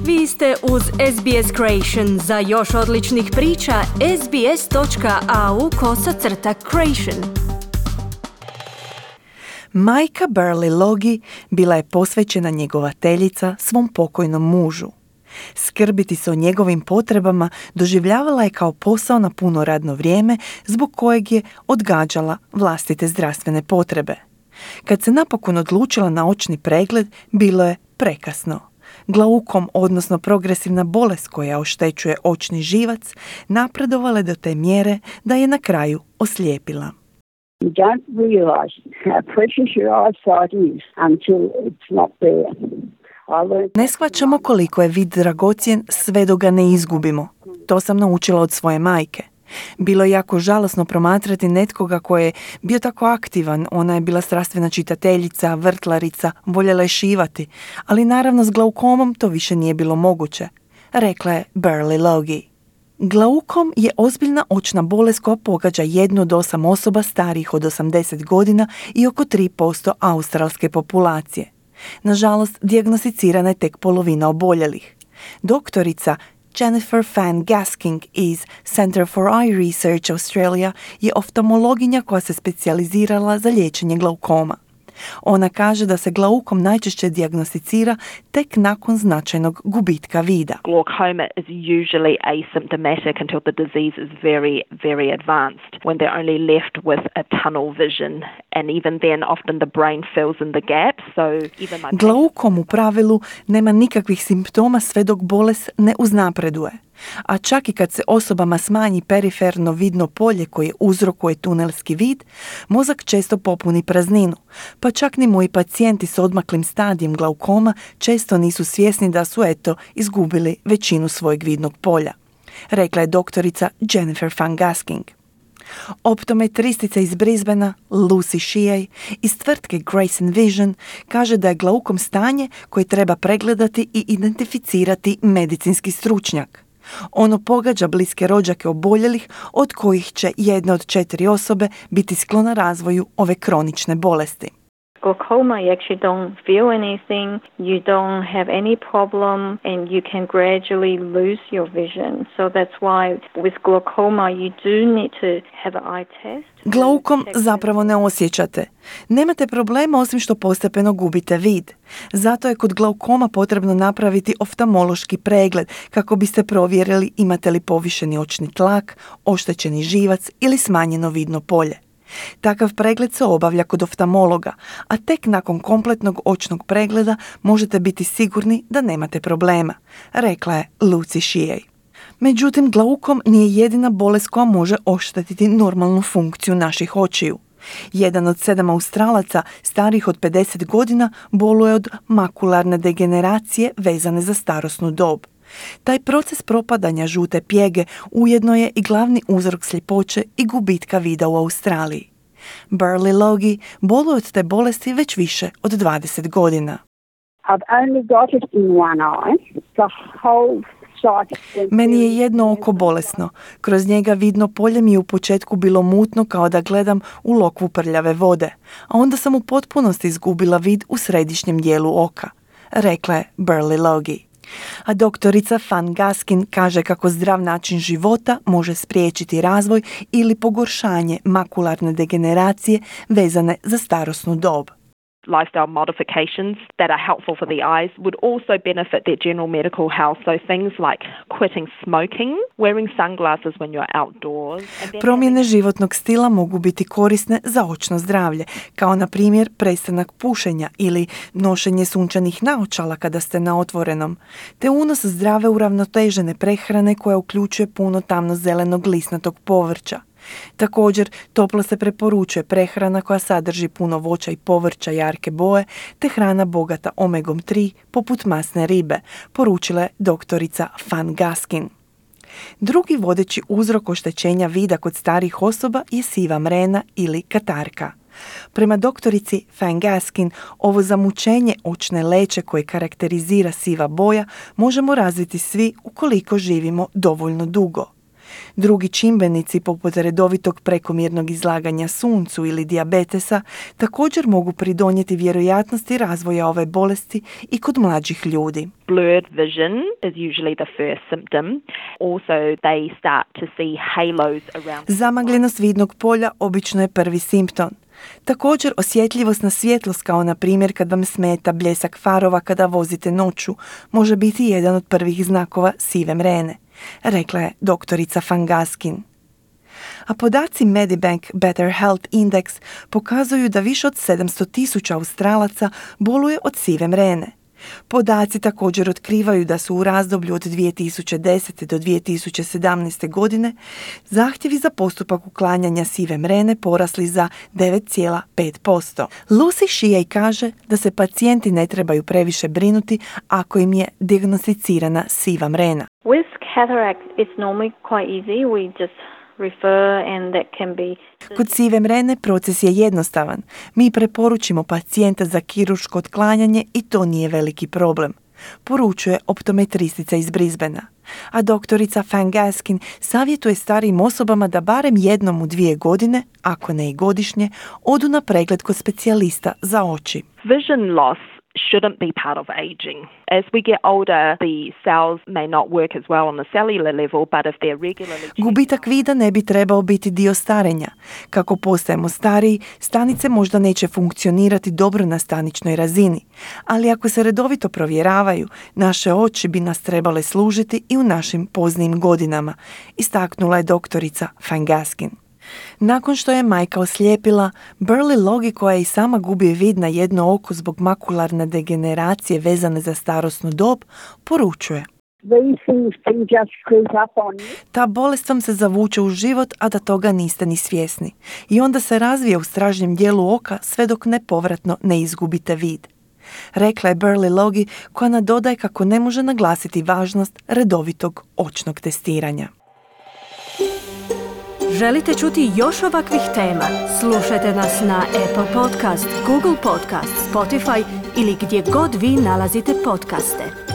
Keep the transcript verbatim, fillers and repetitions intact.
Vi ste uz S B S Creation. Za još odličnih priča, sbs.au kosacrta creation. Majka Burley Logie bila je posvećena njegovateljica svom pokojnom mužu. Skrbiti se o njegovim potrebama doživljavala je kao posao na puno radno vrijeme zbog kojeg je odgađala vlastite zdravstvene potrebe. Kad se napokon odlučila na očni pregled, bilo je prekasno. Glaukom, odnosno progresivna bolest koja oštećuje očni živac, napredovala je do te mjere da je na kraju oslijepila. You don't realize how precious your eyesight is until it's not there. Ne shvaćamo koliko je vid dragocjen sve dok ga ne izgubimo. To sam naučila od svoje majke. Bilo je jako žalosno promatrati netkoga koji je bio tako aktivan. Ona je bila strastvena čitateljica, vrtlarica, voljela je šivati, ali naravno s glaukomom to više nije bilo moguće, rekla je Burley Logie. Glaukom je ozbiljna očna bolest koja pogađa jednu od osam osoba starijih od osamdeset godina i oko tri posto australske populacije. Nažalost, dijagnosticirana je tek polovina oboljelih. Doktorica Jennifer Fan Gasking iz Center for Eye Research Australia je oftalmologinja koja se specijalizirala za liječenje glaukoma. Ona kaže da se glaukom najčešće dijagnosticira tek nakon značajnog gubitka vida. Glaucoma is usually asymptomatic until the disease is very, very advanced, when they're only left with a tunnel vision, and even then often the brain fills in the gap. So even my Glaukom u pravilu nema nikakvih simptoma sve dok bolest ne uznapreduje. A čak i kad se osobama smanji periferno vidno polje koje uzrokuje tunelski vid, mozak često popuni prazninu, pa čak ni moji pacijenti s odmaklim stadijem glaukoma često nisu svjesni da su eto izgubili većinu svojeg vidnog polja, rekla je doktorica Jennifer Fan Gasking. Optometristica iz Brisbanea Lucy Shea iz tvrtke Grace and Vision kaže da je glaukom stanje koje treba pregledati i identificirati medicinski stručnjak. Ono pogađa bliske rođake oboljelih, od kojih će jedna od četiri osobe biti sklona razvoju ove kronične bolesti. Glaucoma, you actually don't feel anything, you don't have any problem, and you can gradually lose your vision. So that's why with glaucoma you do need to have an eye test. Glaukom zapravo ne osjećate. Nemate problema osim što postepeno gubite vid. Zato je kod glaukoma potrebno napraviti oftalmološki pregled kako biste provjerili imate li povišeni očni tlak, oštećeni živac ili smanjeno vidno polje. Takav pregled se obavlja kod oftalmologa, a tek nakon kompletnog očnog pregleda možete biti sigurni da nemate problema, rekla je Lucy Shea. Međutim, glaukom nije jedina bolest koja može oštetiti normalnu funkciju naših očiju. Jedan od sedam Australaca starijih od pedeset godina boluje od makularne degeneracije vezane za starosnu dob. Taj proces propadanja žute pjege ujedno je i glavni uzrok sljepoće i gubitka vida u Australiji. Burley Logie boluje od te bolesti već više od dvadeset godina. I've only got it in one eye. The whole sight. Meni je jedno oko bolesno. Kroz njega vidno polje mi je u početku bilo mutno kao da gledam u lokvu prljave vode, a onda sam u potpunosti izgubila vid u središnjem dijelu oka, rekla je Burley Logie. A doktorica Fan Gaskin kaže kako zdrav način života može spriječiti razvoj ili pogoršanje makularne degeneracije vezane za starosnu dob. Lifestyle modifications that are helpful for the eyes would also benefit their general medical health. So things like quitting smoking, wearing sunglasses when you're outdoors. Promjene životnog stila mogu biti korisne za očno zdravlje, kao na primjer prestanak pušenja ili nošenje sunčanih naočala kada ste na otvorenom, te unos zdrave uravnotežene prehrane koja uključuje puno tamno-zelenog lisnatog povrća. Također, toplo se preporučuje prehrana koja sadrži puno voća i povrća jarke boje, te hrana bogata omegom tri poput masne ribe, poručila je doktorica Fan Gaskin. Drugi vodeći uzrok oštećenja vida kod starijih osoba je siva mrena ili katarka. Prema doktorici Fan Gaskin, ovo zamućenje očne leće koje karakterizira siva boja možemo razviti svi ukoliko živimo dovoljno dugo. Drugi čimbenici poput redovitog prekomjernog izlaganja suncu ili dijabetesa također mogu pridonijeti vjerojatnosti razvoja ove bolesti i kod mlađih ljudi. Blurred vision is usually the first symptom. Also, they start to see halos around. Zamagljenost vidnog polja obično je prvi simptom. Također osjetljivost na svjetlost, kao na primjer kad vam smeta bljesak farova kada vozite noću, može biti jedan od prvih znakova sive mrene, rekla je doktorica Van Gaskin. A podaci Medibank Better Health Index pokazuju da više od sedamsto tisuća Australaca boluje od sive mrene. Podaci također otkrivaju da su u razdoblju od dvije tisuće desete do dvije tisuće sedamnaeste. godine zahtjevi za postupak uklanjanja sive mrene porasli za devet zarez pet posto. Lucy Shea kaže da se pacijenti ne trebaju previše brinuti ako im je dijagnosticirana siva mrena. With cataract, it's normally quite easy. We just refer and that can be... Kod sive mrene proces je jednostavan. Mi preporučimo pacijenta za kirurško otklanjanje i to nije veliki problem, poručuje optometristica iz Brisbanea. A doktorica Van Gaskin savjetuje starijim osobama da barem jednom u dvije godine, ako ne i godišnje, odu na pregled kod specijalista za oči. Vision loss shouldn't be part of aging. As we get older, the cells may not work as well on the cellular level, but if they're regularly... Gubitak vida ne bi trebao biti dio starenja. Kako postajemo stariji, stanice možda neće funkcionirati dobro na staničnoj razini, ali ako se redovito provjeravaju, naše oči bi nas trebale služiti i u našim poznijim godinama, istaknula je doktorica Van Gaskin. Nakon što je majka oslijepila, Burley Logie, koja i sama gubi vid na jedno oko zbog makularne degeneracije vezane za starosnu dob, poručuje: ta bolest vam se zavuče u život, a da toga niste ni svjesni. I onda se razvije u stražnjem dijelu oka sve dok nepovratno ne izgubite vid. Rekla je Burley Logie, koja nadodaje kako ne može naglasiti važnost redovitog očnog testiranja. Želite čuti još ovakvih tema? Slušajte nas na Apple Podcast, Google Podcast, Spotify ili gdje god vi nalazite podcaste.